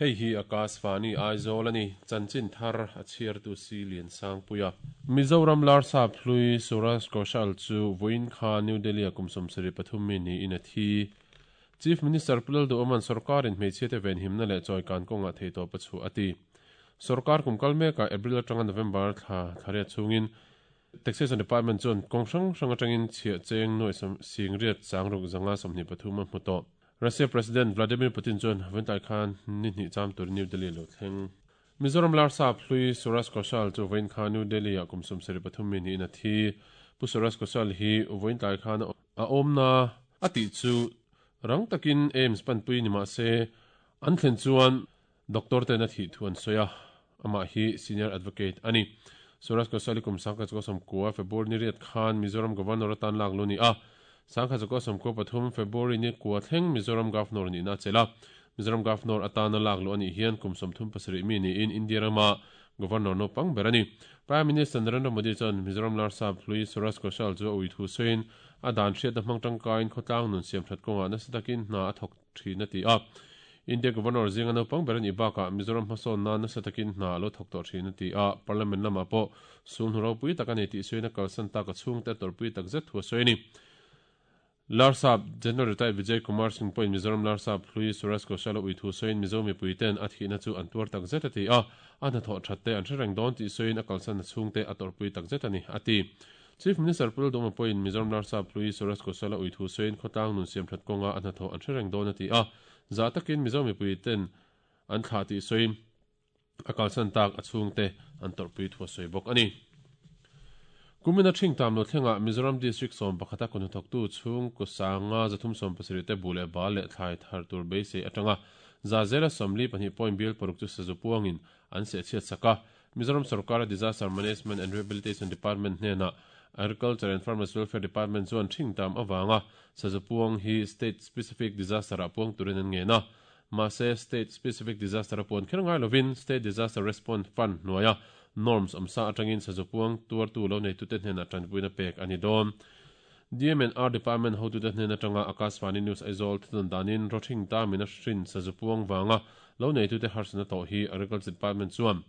Hei hi Akashvani Aizawl a ni, chanchin thar a chhiartu si Liansangpuia. Mizoram Larsap hlui Suraj Kaushal chu vawiin kha New Delhi-a kum 73 mi niin a thi. Chief Minister Pu Lalduhoma'n sorkarin hmeichhiate venhimna leh chawikan kawngah theihtawp a chhuah a ti. Sorkar kum kal mekah April atanga November thla thlariat chhungin Taxation Department chuan kawng hrang hrang atangin chhiah cheng nuai singriat sangruk zanga 23 a hmu tawh. Russia President Vladimir Putin chuan vawiintlai khan ni hnih cham turin New Delhi a lo thleng. Mizoram Larsap hlui Suraj Kaushal chu vawiin khan New Delhi-ah kum 73 mi niin a thi. Pu Suraj Kaushal hi vawiintlai khan a awmna a tih chu rang takin AIIMS panpui ni mah se an thlen chuan Doctor ten a thih thu an sawi a, amah hi Senior Advocate a ni. Suraj Kaushal-i kum 1990 February ni riat khan Mizoram Governor atan lak lu ni a, 1993 February ni kua thleng Mizoram Governor nihna a chelh a. Mizoram Governor atana lak luh a nih hian kum 37 mi niin India rama Governor naupang ber a ni. Prime Minister Narendra Modi chuan Mizoram Larsap hlui Suraj Kaushal chu a ui thu sawiin a dan hriatna hmang tangkaiin khawtlang nun siamthat kawngah nasa takin hna a thawk thin a ti a. India Governor zinga naupang ber a nih bakah Mizoram hmasawn nan nasa takin hna a lo thawk tawh thin a ti a. Parliament lamah pawh sulhnu ropui tak a ni tih sawiin a kalsan tak a chhungte a tawrhpui tak zet thu a sawi a ni. Larsap General Retired Vijay Kumar Singh pawhin Mizoram Larsap hlui Suraj Kaushal a ui thu sawiin Mizo mipuiten a thihna chu an tuar tak zet a ti a, a hnathawh that te an hre reng dawn tih sawiin a kalsan a chhungte a tawrhpui tak zet a ni a ti. Chief Minister Pu Lalduhma pawhin Mizoram Larsap hlui Suraj Kaushal a ui thu sawiin khawtlang nun siamthat kawnga a hnathawh an hre reng dawn a ti a, zah takin Mizo mipuiten an thlah tih sawiin a kalsan tak a chhungte an tawrhpui thu a sawi bawk a ni. Kumina ṭhing tam lo thlengah Mizoram District 11 a kawhnathawktu chhungkaw sanga 370 te buh leh bal leh thlai thar tur beisei atanga za zela 42 point bial paruk chu sazu puangin an sehchhiat sak a, Mizoram sorkara Disaster Management and Rehabilitation Department hnenah Agriculture and Farmers Welfare Department chuan ṭhing tam avanga sazu puang hi State Specific Disaster-ah puang turin an ngen a. Mahse, State Specific Disaster a puan kher ngai lovin State Disaster Response Fund hnuaia norms awmsa atangin sazu puang tuartu lo neitute hnenah tanpuina pek a ni dawn. DMNR Department hotute hnen atanga Akashvani News Aizawl thutawn danin rawthing tamin a hrin sazu puang vanga lo neitute harsatna tawh hi Agriculture Department chuan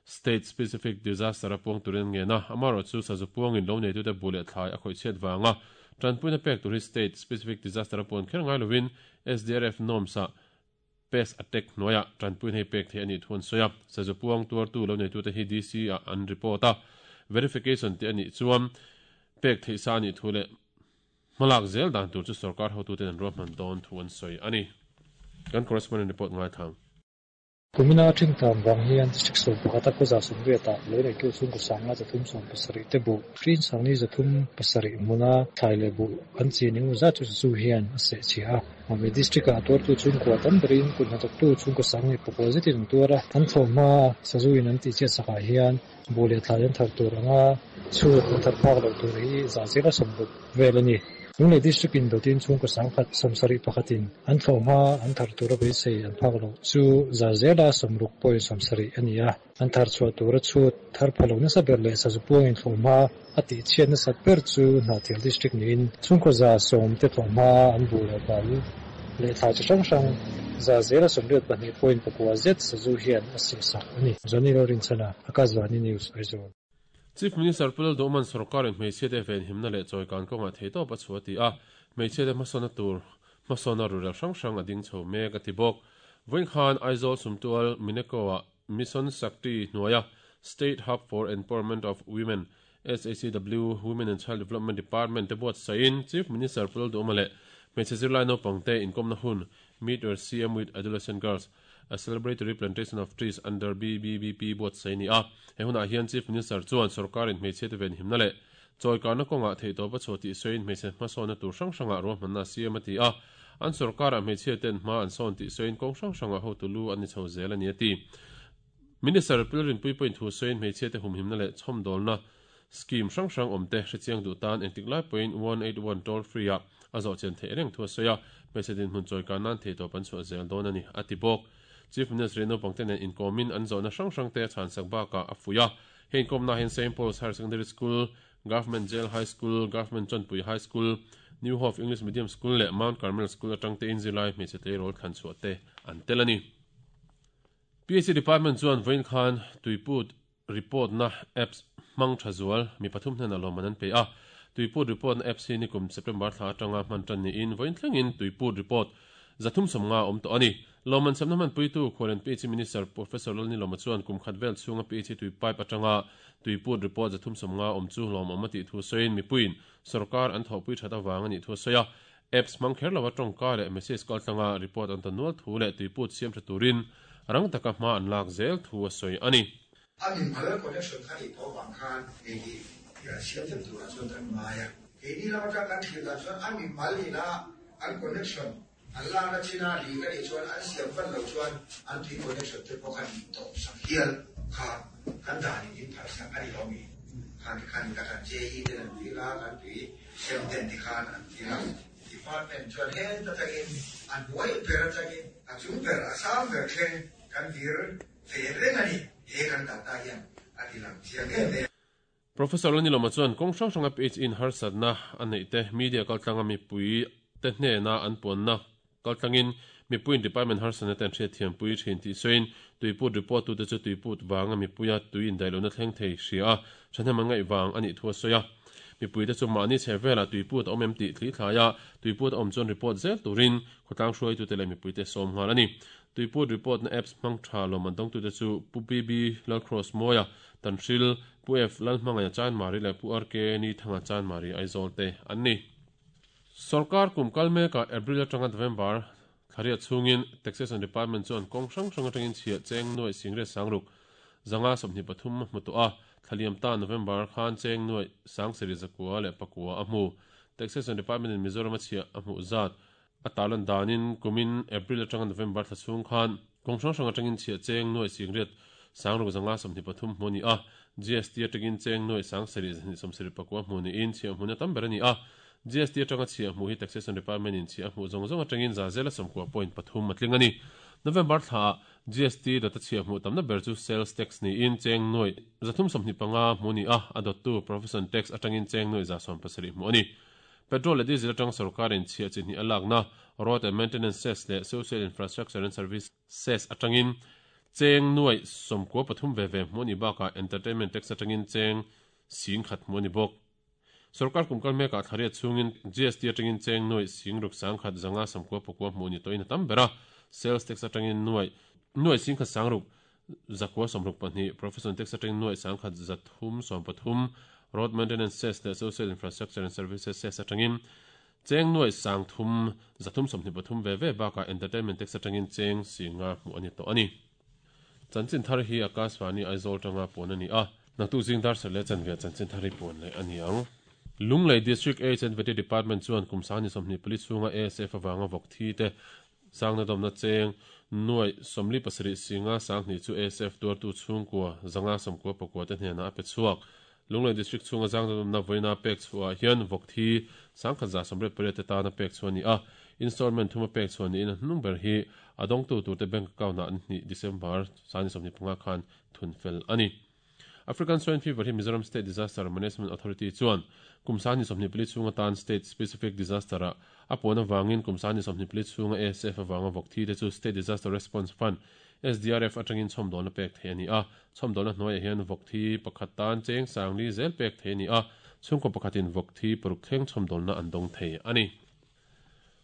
State Specific Disaster a puang turin an ngen a, amaherawhchu sazu puangin lo neitute buh leh thlai a khawih chhiat vanga tanpuina pek tur hi State Specific Disaster a puan kher ngai lovin SDRF norms-ah Pest attack hnuaiah tanpuina hi pek theih a nih thu an sawi a, sazu puang tuartu lo neitute hi DC-ah an report a, verification tih a nih chuan pek theih sa a nih thu leh hmalak zel dan tur chu sorkar hotuten an ruahman dawn thu an sawi a ni. Kan correspondent report ngaithlang. Kumina ṭhingtlan vang hian District 11 a khawza 80 ah lo neitu chhungkaw sanga 370 te buh hrin sangni 307 hmuna thlai leh buh an chin engemaw zat chu sazu hian a seh chhia a. Mami District ah tuartu chhungkua tam berin kut hnathawktu chhungkaw sang leh pakua zetin an tuar a, an thlawhhma sazu in an tihchhiat sakah hian buh leh thlai an thar tur anga chhut an thar phak loh tur hi zah zela 60 vel a ni. Lunglei District in dawtin chhungkaw 171 in an thlawhhma an thar tura beisei an phak loh chu zah zela 60.70 a ni a, an thar chhuah tura chhut thar pha lo nasa ber leh sazu puangin thlawhhma a tihchhiat nasat ber chu Hnahthial District niin chhungkaw 100 te thlawhhma an buh leh bal leh thlai chi hrang hrang za zela 82.9 zet sazu hian a sehsak a ni. Johnny Lalrinchhana, Akashvani News, Aizawl. Chief Minister Pu Lalduhman sorkarin hmeichhiate venhimna leh chawikan kawngah theihtawp a chhuah a ti a, hmeichhiate hmasawnna tur hmasawnna rurel hrang hrang a ding chho mek a ti bawk. Vawiin khan Aizawl Sumtual Mineko-ah Mission Shakti hnuaia State Hub for Empowerment of Women, SHEW, Women and Child Development Department te buatsaihin Chief Minister Pu Lalduhma leh hmeichhe zirlai naupangte inkawmna hun Meet Your CM with Adolescent Girls, A Celebratory Plantation of Trees under BBBP buatsaih a ni a. He hunah hian Chief Minister chuan sorkarin hmeichhiate venhimna leh chawikarna kawngah theihtawp a chhuah tih sawiin hmeichhe hmasawnna tur hrang hrangah ruahmanna a siam a ti a. An sorkarah hmeichhiate'n hma an sawn tih sawiin kawng hrang hrangah hotu lu an ni chho zel a ni a ti. Minister Pilrinpui pawhin thu sawiin hmeichhiate humhimna leh chhawmdawlna scheme hrang hrang awmte hrechiang duh tan engtik lai pawhin 181 toll free ah a zawh chian theih reng thu a sawi a, hmeichhe dinhmun chawikan nan theihtawp an chhuah zel dawn a ni, a ti bawk. Chief Minister naupangte nen inkawmin an zawhna hrang hrangte a chhansak bakah a fuih a, hei inkawmna hian Saint Paul's Higher Secondary School, Government Jail High School, Government Chawnpui High School, New Hope English Medium School leh Mount Carmel School atangte in zirlai hmeichhe tleirawl thlan chhuah te an tel a ni. PHE Department chuan vawiin khan Tuiput Report na Apps hmang tha zual mi pathum hnenah lawmman an pe a. Tuiput Report na Apps hi nikum September thla atanga hman tan niin vawiin thlengin Tuiput Report 350 a awm tawh a ni. Lawmman semna hmanpuitu Khualen PHE Minister Professor Lalnilawma chuan kum khat vel chhunga PHE tui pipe atanga Tuiput Report 350 awm chu lawmawm a tih thu sawiin mipuiin sawrkar an thawhpui that avang a nih thu a sawi a. Apps hmang kher lova tawngka leh message kal tlanga report an ta nual thu leh tuiput siam tha turin rang taka hma an lak zel thu a sawi a ni. A mimal connection kha nih tawh vang khan hei hi siam them turah chuan kan ngai a. Keini lam atang kan thlir dan chuan a mimal ina an connection an lakna china lik a nih chuan an siam vat loh chuan an tui connection te pawh khan in tawp sak hial kha kan danin in phalh sak a ni lo mi. Khan tikhan in ka tan JE ten an dil a, kan tui Sem ten tikhan an dil a. Department chuan heta tangin a hnuai ber atangin a chung ber a sang ber thleng kan vir ve reng a ni. He kan data hian a ti lang chiang em em. Professor Lanilawma chuan kawng hrang hranga PHE-in harsatna a neih te, media kaltlanga mipui te hnena an puanna kaltlangin mipuiin department harsatna te an hriatthiampui thin tih sawiin tuiput report tute chu tuiput vanga mipuia tui indaihlohna thleng thei hria a, thahnem an ngaih vang a nih thu a sawi a. Mipuite chu mahni chhe velah tuiput a awm em tih thli thlai a, tuiput a awm chuan report zel turin khawtlang hruaitute leh mipuite sawm nghal a ni. Tuiput report na apps hmang tha lawmman dawngtute chu Pu BB Lalcross Mawia, Tanhril, Pu F Lalhmangaia Chanmari leh Pu RK Nithanga Chanmari Aizawl te an ni. Sorkar kum kal mekah April atanga November thlariat chhungin Taxation Department chuan kawng hrang hrang atangin chhiah cheng nuaih singriat sangruk zanga 23 a hmu tawh a, thlaliam ta November khan cheng nuaih sangsarih zakua leh pakua a hmu. Taxation Department in Mizoram a chhiah a hmuh zat a tarlan danin kumin April atanga November thla chhung khan kawng hrang hrang atangin chhiah cheng nuaih singriat sangruk zanga 23 hmu a ni a, GST atangin cheng nuaih sangsarih zahnih sawmsarih pakua hmu niin chhiah hmuna tam ber a ni a. GST atanga chhiah hmuh hi Taxation Department in chhiah a hmuh zawng zawng atangin za zela 90.3 a tling a ni. November thlaah GST data chhiah hmuh tamna ber chu Sales Tax niin cheng nuaih 325 hmuh a ni a, a dawttu Profession Tax atangin cheng nuaih 170 hmuh a ni. Petrol leh Diesel atang sorkarin chhiah chi hnih a lakna Road and Maintenance Cess leh Social Infrastructure and Service Cess atangin cheng nuaih 93 ve ve hmuh a nih bakah Entertainment Tax atangin cheng 10,000 hmuh a ni bawk. Sorkar kum kal mekah thlariat chhungin GST atangin cheng nuaih singruk sangkhat zanga samkua pakua hmuh ni tawhin a tam ber a, sales tax atangin nuaih nuaih singkhat sangruk zakua sawmruk pahnih, profession tax atangin nuaih sangkhat zathum sawmpathum, road maintenance cess leh social infrastructure and services cess atangin cheng nuaih sangthum zathum sawmhnih pathum ve ve bakah entertainment tax atangin cheng singa hmuh a ni tawh a ni. Chanchin thar hi Akashvani Aizawl tanga puan a ni a, naktuk zing dar sarh leh chanve chanchin thar hi puan leh a ni ang. Lunglei District Aids and Vety Department chuan kum sangni 24 chhunga ASF avanga vawk thi te sangna dawmna cheng nuaih 47 singa sanghnih chu ASF tuartu chhungkua zanga sawmkua pakua te hnenah a pe chhuak. Lunglei District chhunga zangna dawmna vawiina pek chhuahah hian vawk thi 1188 te tana pek chhuah a ni a, installment thuma pek chhuah niin a hnung ber hi a dawngtu turte bank account-ah an hnih December sangni 25 khan thun fel a ni. African Swine Fever hi Mizoram State Disaster Management Authority chuan kum sangni 24 chhung atan State Specific Disaster-ah a puan avangin kum sangni 24 chhunga ASF avanga vawk thi te chu State Disaster Response Fund, SDRF, atangin chhawmdawlna pek theih a ni a. Chhawmdawlna hnuaiah hian vawk thi pakhat tan cheng sangli zel pek theih a ni a, chhungkaw pakhatin vawk thi paruk thleng chhawmdawlna an dawng thei a ni.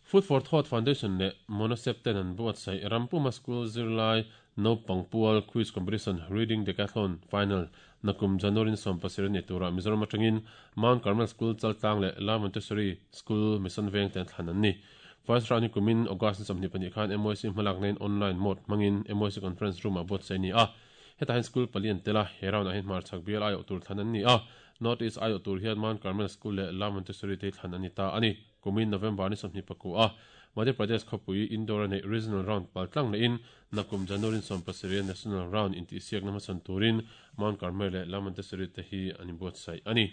Food for Thought Foundation leh Monosep ten an buatsaih Rampuma School zirlai naupang pual Quiz Competition Reading Decathlon Final nakum January ni 17 a ni turah Mizoram atangin Mount Carmel School Chaltlang leh La Montessori School Mission Veng te an thlan an ni. First round hi kumin August ni 22 khan MYC hmalakna in online mode hmangin MYC Conference Room ah buatsaih a ni a. Hetah hian school pali an tel a, he round ah hian hmarchhak bial aiawh tur thlan an ni a. North East aiawh tur hian Mount Carmel School leh La Montessori te hi thlan an ni ta a ni. Kumin November ni 21 a Madhya Pradesh khawpui Indore a neih Regional Round pal tlang lehin nakum January 17 a National Round intihsiakna hmasawn turin Mount Carmel leh La Montessori te hi an inbuatsaih a ni.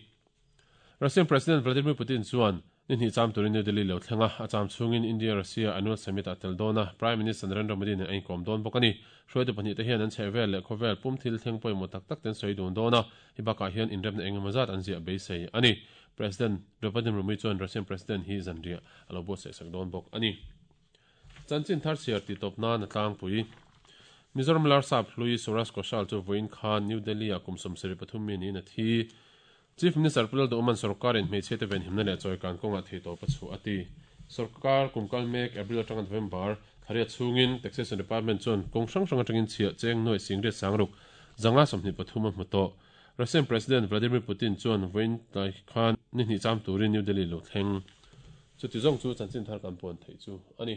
Russian President Vladimir Putin chuan ni hnih cham turin New Delhi lo thleng a, a cham chhungin India-Russia Annual Summit ah tel dawn a, Prime Minister Narendra Modi nen a inkawm dawn bawk a ni. Hruaitu pahnih te hian an chhehvel leh khawvel pum thil thleng pawimawh tak tak te an sawi dun dawn a, hei bakah hian inremna eng emaw zat an ziah beisei a ni. President Draupadi Murmu chuan Russian President hi zanriah a lo buatsaih sak dawn bawk a ni. Chanchin thar chhiar tih tawp nan a tlangpui. Mizoram Larsap hlui Suraj Ghoshal chu vawiin khan New Delhi-ah kum 73 mi niin a thi. Chief Minister Pu Lalduhawma'n sorkarin hmeichhiate venhimna leh chawikan kawngah theihtawp a chhuah a ti. Sorkar kum kal mek April atanga November thlaria chhungin Taxation Department chuan kawng hrang hrang atangin chhiah cheng nuaih singriat sangruk 123 a hmu tawh. Russian President Vladimir Putin chuan vawiin tlai khan ni hnih cham turin New Delhi lo thleng. Chuti zawng chu chanchin thar kan puan theih chu a ni.